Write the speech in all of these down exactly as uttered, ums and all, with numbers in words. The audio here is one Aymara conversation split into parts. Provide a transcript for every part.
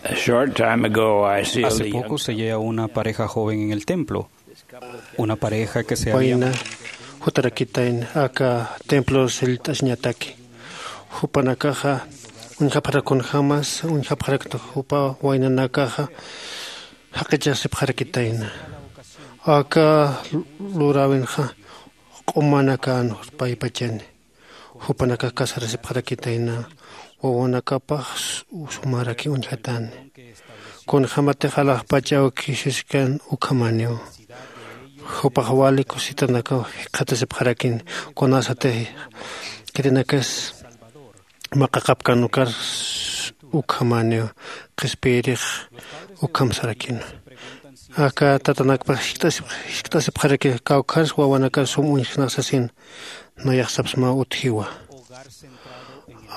A short time ago, I sealed Hace a young poco sellé a una pareja joven en el templo. Una pareja que se había Wayna jutarakitayn aka templo sillt'asiñataki. Jupanakaxa uñjapxarakun jamas, uñjapxarakta jupa waynanakaxa jaqichasipxarakitayna. Aka luräwinxa q'umanakan paypachani. Jupanakax casarasipxarakitayna, wawanakapax sumaraki uñjatani. Kunjämatix alaxpach awki siskan ukhamaniw. Jupax wali cositanakaw jikxatasipxarakin, kunasatix khitinakasa maqaqapkan ukar ukhamaniw, qhispiyirix ukham sarakina. Aka tatanakpax jiskt'asip jiskt'asipxaraki, kawkhars wawanakar sum uñjknax sasin. Nayax sapsmaw utjiwa.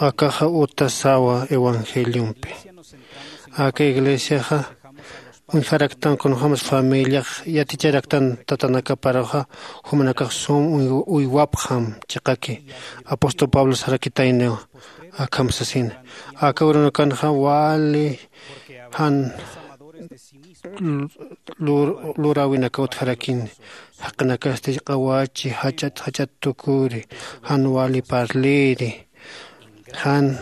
Akaxa utasawa evangeliompi. Aka iglesiaxa uñjaraktan kunjämas familiax yaticharaktan tatanakaparuxa, jumanakax sum uywapxam chiqaki. Apóstol pablo sarakitayniw akham sasina. Aka urunakanxa wali jan luräwinaka utjarakini. Jaqinakasti q'awachi jach'at jach'at tukuri, jan wali parliri, jan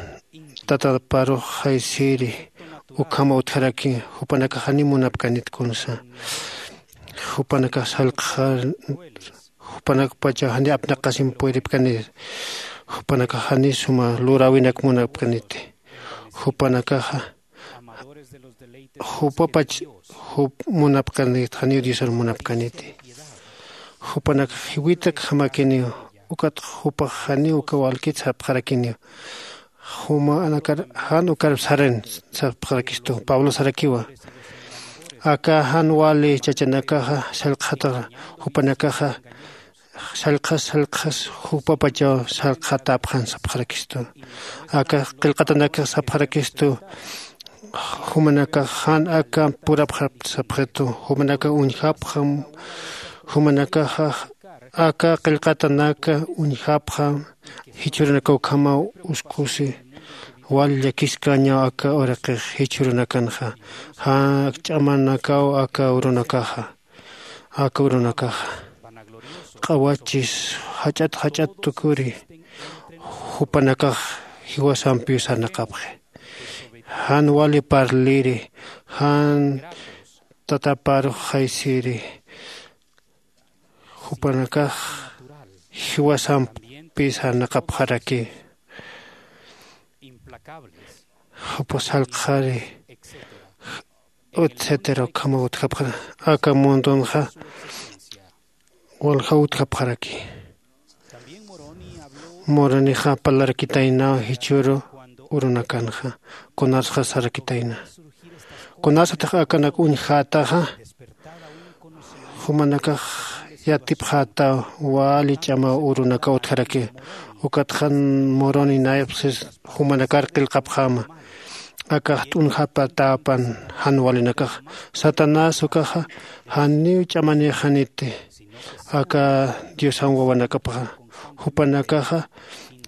tataparux jaysiri ukhama utjaraki. Jupanakax janiw munapkanit kunsa. Jupanakax sallqxar jupanakpachaw janiw apnaqasim puyripkanir. Jupanakax janiw suma luräwinak munapkaniti. Jupanakaxa jupapach jup munapkanit, janiw diosar munapkaniti. Jupanakax jiwitakjamakiniw. Ukatxa jupax janiw uka walkit sapxarakiniw. Jumanakar jan ukar sarin sapxarakistu pablo sarakiwa. Aka jan wali chachanakaxa sallqxataxa, jupanakaxa sallqxas sallqxas jupapachaw sallqxatäpxan sapxarakistu. Aka qillqatanakax sapxarakistu. Jumanakax jan aka purapxapxtu sapxitu. Jumanakax uñjapxam. Jumanakaxa aka qillqatanaka uñjapxam. Jichhürunakaw ukhamaw uskusi. Wal llakiskañaw aka uraqix jichhürunakanxa. Jan ch'amanakaw aka urunakaxa. Aka urunakaxa q'awachis jach'at jach'at tukuri. Jupanakax jiwasampiw sarnaqapxi. Jan wali parliri, jan tataparux jaysiri. Jupanakax jiwasampi sarnaqapxaraki. Jupa sallqxari etcétera ukhama utjapxara. Aka mundunxa walja utjapxaraki. Moronixa parlarakitaynaw jichhüru urunakanxa. Kunasxa sarakitayna, kunasatix akanak uñjätaxa jumanakax yatipxätaw. Wali ch'amaw urunakaw utjaraki. Ukatxa moroni nayapxsis jumanakar qillqapxäma. Akax t'unjapatäpan jan walinakaxa. Satanás ukaxa janiw ch'amanïxaniti aka diosan wawanakapxa. Jupanakaxa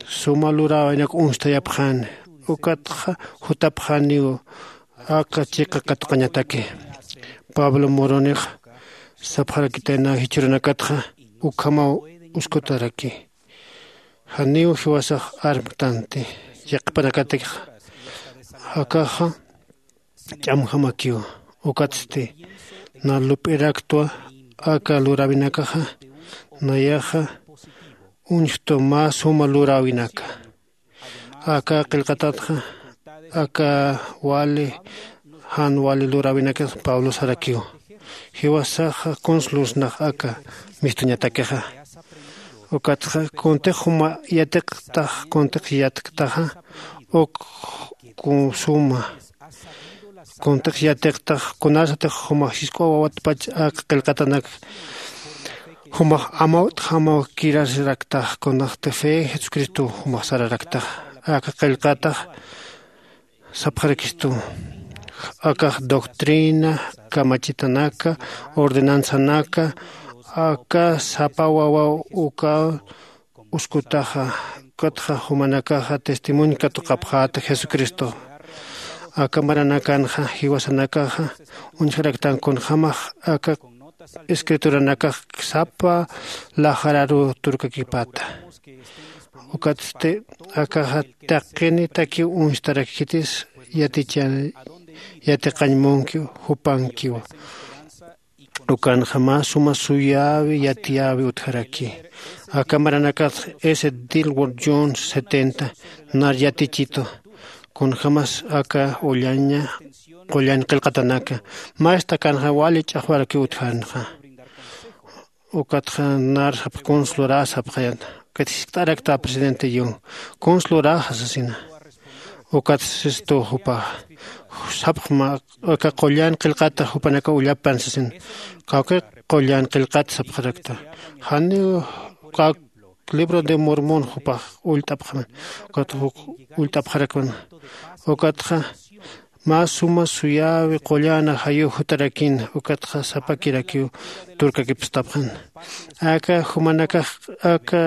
suma luräwinak uñstayapxani. Ukatxa jutapxaniw aka chiqa katuqañataki. Pablo moronixa sapxarakitayna jichhürunakatxa ukhamaw uskutaraki. Janiw jiwasax armktanti yaqhipanakatixa. Akaxa ch'amjamakiw. Ukatsti na lup'iraktwa aka luräwinakaxa. Nayaxa uñjtu mä suma luräwinaka. Aka qillqatatxa aka wali jan wali luräwinakas pablo sarakiw. Jiwasaxa kuns lursnax aka mistuñatakixa. Ukatxa kuntix juma yatiqtax kuntix yatktaxa uk suma kuntix yatiqtax kunasatix jumax jisk'uwawatpach aka qillqatanak jumax amawt'jamaw kirasiraktax kunasti fe jesucristow jumax sararaktax. Aka qillqatax sapxarakistu akax doctrina kamachitanaka ordenanzanaka aka sapa wawaw uka uskutaxa. Ukatxa jumanakaxa testimonio katuqapxäta jesucristo. Aka maranakanxa jiwasanakaxa uñjaraktan kunjämax aka escrituranakax sapa laxararu turkakipata. Ukatsti akaxa taqinitakiw uñstarakikitis yaticha yatiqañ munkiw jupankiwa. Ukanxa mä suma suyäwi yatiyäwi utjaraki. Aka maranakatx s dilward jun setenta nar yatichitu kunjämas aka ullaña qullan qillqatanaka. Mastakanxa wali ch'axwarakiw utjarnxa. Ukatxa nar sapx kunslurä sapxayan. Ukat jiskt'arakta presidente yu kunslurä sasina. Ukat sistu jupaxa sapxma aka qullan qillqata jupanaka ullapan sasin. Kawki qullan qillqata sapxarakta. Janiw kawk libro de mormon jupax ullt'apxaman. Ukat juk ullt'apxarakman. Ukatxa mä suma suyäwi qullan ajayu jutarakin. Ukatxa sapakirakiw turkakipstapxan. Aka jumanakax aka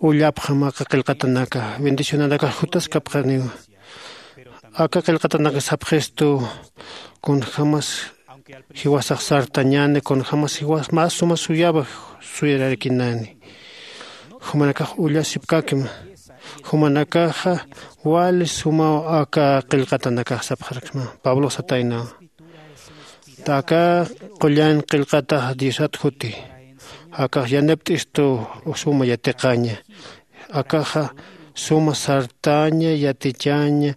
ullapxam aka qillqatanaka bendicionanakax jutaskapxaniw. Aka qillqatanaka sapxistu kunjämas jiwasax sartañäni kunjämas jiwas mä suma suyäwa suyararakinäni. Jumanakax ullasipkäkima. Jumanakaxa wali sumaw aka qillqatanakax sapxarakma pablo sataynaw. Aka qullan qillqatax diosat juti. Akax yanapt'istu suma yatiqaña. Akaxa suma sartaña yatichaña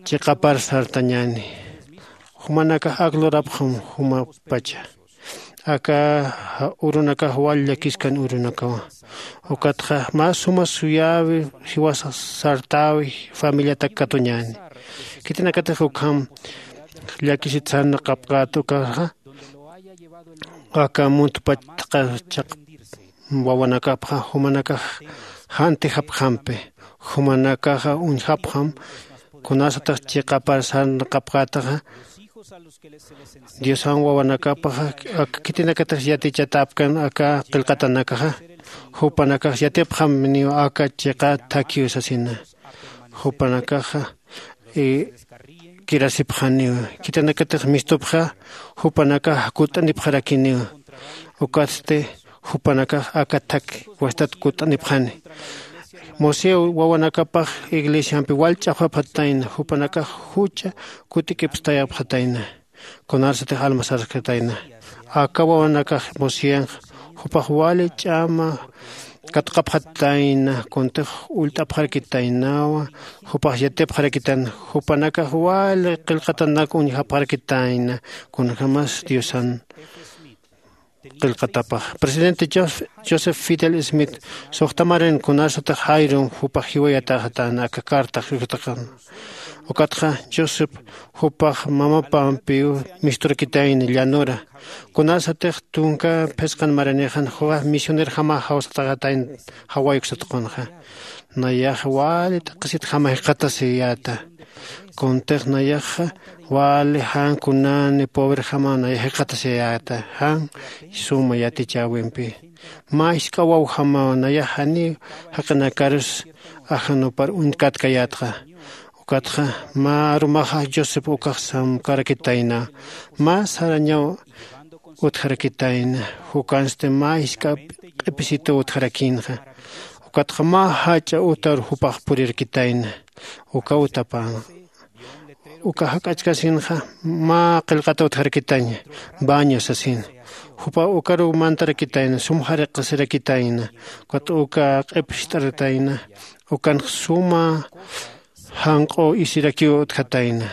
chiqapar sartañäni. Jumanakax ak lurapxam jumapacha. Aka urunakax wal llakiskan urunakawa. Ukatxa mä suma suyäwi jiwasa sartäwi familiatak katuñäni. Khitinakatix ukham llakisit sarnaqapkät ukaxa aka muntpach chaq wawanakapxa jumanakax jantijapxampi. Jumanakaxa uñjapxam kunasatix chiqapar sarnaqapkätaxa diosan wawanakapaxa aka khitinakatix yatichatäpkan aka qillqatanakaxa jupanakax yatipxam niw aka chiqa thakiw sasina. Jupanakaxa kirasipxaniw. Khitinakatix mistupxa jupanakax kutt'anipxarakiniw. Ukatsti jupanakax aka thak wastat kutt'anipxani. Mosé wawanakapax iglesiampi wal ch'axwapxatayna jupanakax jucha kutikipstayapxatayna. Kunarsatix almasarkatayna aka wawanakax moseanx jupax wali ch'ama katuqapxatayna kuntix ullt'apxarakitaynawa. Jupax yatipxarakitan jupanakax wali qillqatanak uñjapxarakitayna kunjämas diosan qillqatapax. Presidente joseph fidel smith suxtamarin kunasatix jayrum jupax jiwayatäxatäna aka cartax yusataqan. Ukatxa joseph jupax mamapampiw misturakitayna llanura kunasatix tunka phisqan maranixan juxa misionerjama jawsataxatayna jawayuk sataqunxa. Nayax wali t'aqhisit jama jikxatasiyäta kuntix nayaxa wali jan kunani pobrejama nayax jikxatasiyäta jan suma yatichäwimpi. Mä jisk'a wawjamaw nayax janiw jaqinakarus ajanupar uñtkatkayätxa. Ukatxa mä arumaxa josep ukax samkarakitayna mä sarañaw utjarakitayna. Jukansti mä jisk'a q'ipisitu utjarakïnxa. Ukatxa mä jach'a utar jupax purirakitayna uka utapan uka jak'achkasinxa mä qillqata utjarakitaña baño sasin. Jupa ukaruw mantarakitayna sum jariqasirakitayna ukat uka q'ip jist'aratayna ukanx suma janq'u isirakiw utjatayna.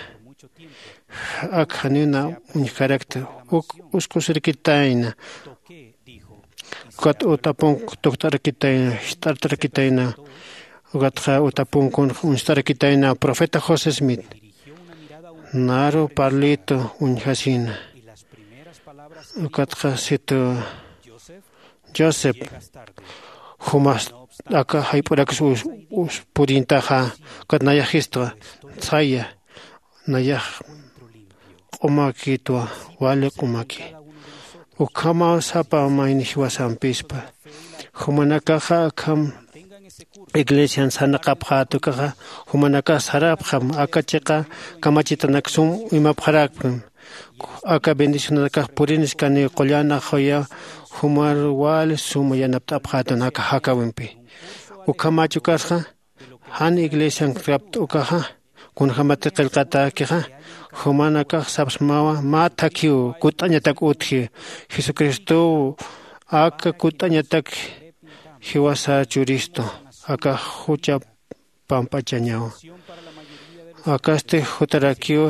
Ak janina uñjkarakta uk uskusirkitayna. Ukat utapunk tukt'arakitayna jist'artarakitayna. Ukatxa utapunk kunx uñstarakitayna profeta josé smith naru parlito uñjasina. Ukatxa situ josep jumas aka jayp'urakis purïntaxa. Ukat nayaxistwa saya nayax q'umakitwa wali q'umaki. Ukhamaw sapa mayni jiwasampispa jumanakaxa akham iglesian sarnaqapxäta ukaxa jumanakax sarapxam. Aka chiqa kamachitanak sum imapxarakpim. Aka bendicionanakax puriniskaniw qullan aqhuya jumar wali suma yanapt'apxätan aka jakäwimpi. Ukhamach ukasxa jan iglesian kapt'ukaxa kunjämati qillqatäkixa jumanakax sapsmawa mä thakhiw kutt'añatak utji. Jesucristow aka kutt'añatak jiwasa churistu aka jucha pamp'achañaw. Akasti jutarakiw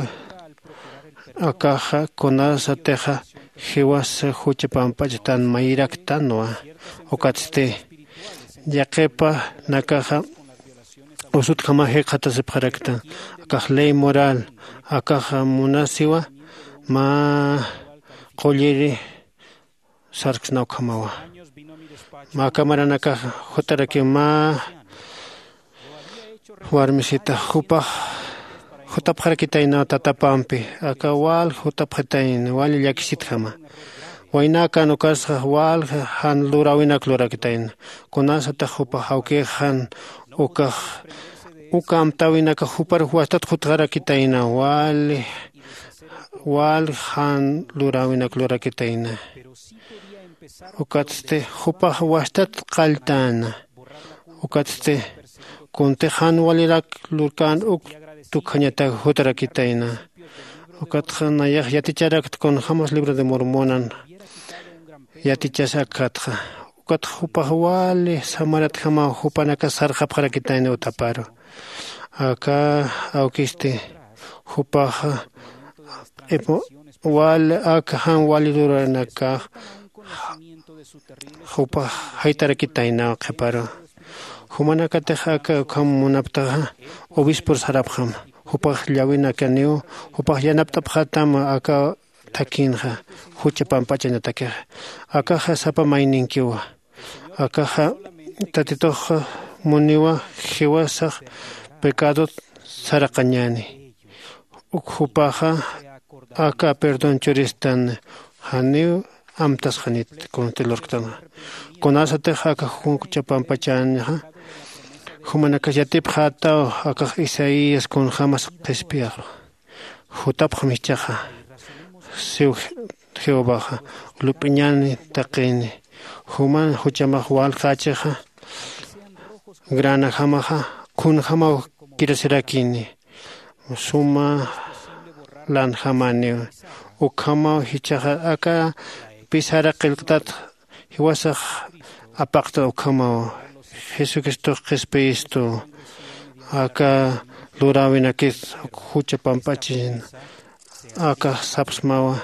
akaxa kunasatixa jiwasa jucha pamp'achatan mayiraktanwa. Ukatsti yaqhipanakaxa usutjama jikxatasipxaraktan akax ley moral akaxa munasiwa mä qulliri sarksna ukhamawa. Mä kamaranakax jutarakiw mä warmisita jupax jutapxarakitaynaw tatapampi aka wal jutapxitayna wali llakisitjama. Waynäkan ukasxa wal jan luräwinak lurakitayna kunasatax jupax awkix jan ukax uka amtäwinakax jupar wastat jutxarakitayna wali wal jan luräwinak lurakitayna. Ukatsti jupax wastat qalltäna. Ukatsti kuntix jan walirak lurkän uk tukjañatak jutarakitayna. Ukatxa nayax yaticharakta kunjämas libro de mormonan yatichas akkhatxa. Ukatxa jupax wali samaratjamaw jupanakas sarxapxarakitayna utaparu. Aka awkisti jupaxa q'ipu wali aka jan wali luranakax jupax jaytarakitaynaw qhiparu. Jumanakatix aka ukham munaptaxa obispor sarapxam. Jupax llawinakaniw jupax yanapt'apxätam aka thakhinxa jucha pamp'achañatakixa. Akaxa sapa mayninkiwa. Akaxa tatituxa muniwa jiwasax pecadot saraqañäni. Uk jupaxa aka perdón churistan janiw amtasxanit kunsti lurktanxa. Kunasatix aka jucha pamp'achañxa jumanakas yatipxätaw akax isaías kunjämas qhispiyaxru. Jutapxam jichhaxa siw jehovaxa lup'iñäni taqini. Juman juchamax walqächixa granajamaxa kunjämaw kirasirakini. Suma lanjamaniw ukhamaw jichhaxa aka pisara qillqtat jiwasax apaqta ukhamaw. Jesucristox qhispiyistu aka luräwinakit jucha pamp'achin aka sapsmawa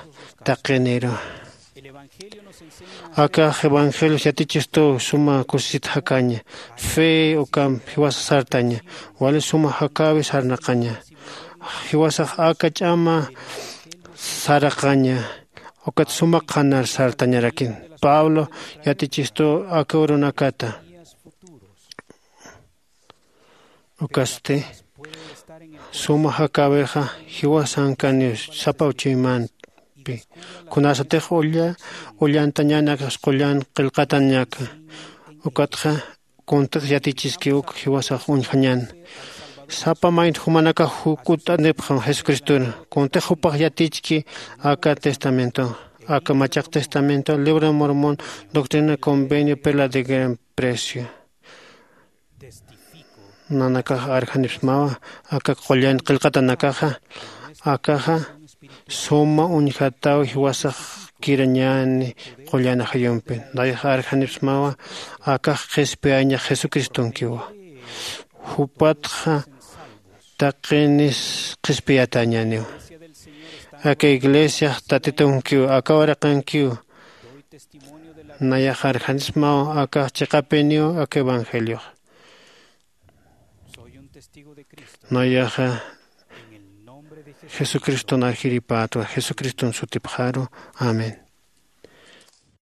taqiniru. Akax evangelios yatichistuw suma kusisit jakaña fe ukamp jiwasa sartaña wali suma jakäwi sarnaqaña. Jiwasax aka ch'ama saraqaña ukat suma qhanar sartañarakin. Pablo yatichistuw aka urunakata ukasti suma jakäwixa jiwasankaniw sapa uchuymampi kunasatix ulla ullantañanakax qullan qillqatañaka. Ukatxa kuntix yatichiski uk jiwasax uñjañan. Sapa maynt jumanakax kutt'anipxam jesucriston kuntix jupax yatichki aka testamento aka machaq testamento libro de mormón doctrina convenio perla de gran precio. Nanakax arjanipsmawa aka qullan qillqatanakaxa akaxa suma uñjataw jiwasax kirañäni qullan ajayumpi. Nayax arjanipsmawa akax qhispiyañax jesucristonkiwa. Jupatxa taqinis qhispiyatañäniw. Aka iglesiax tatitunkiw aka uraqankiw. Nayax arjanipsmaw akax chiqapiniw aka evangeliox. Nayaxa jesucriston arjiripätwa jesucriston sutipxaru. Amén.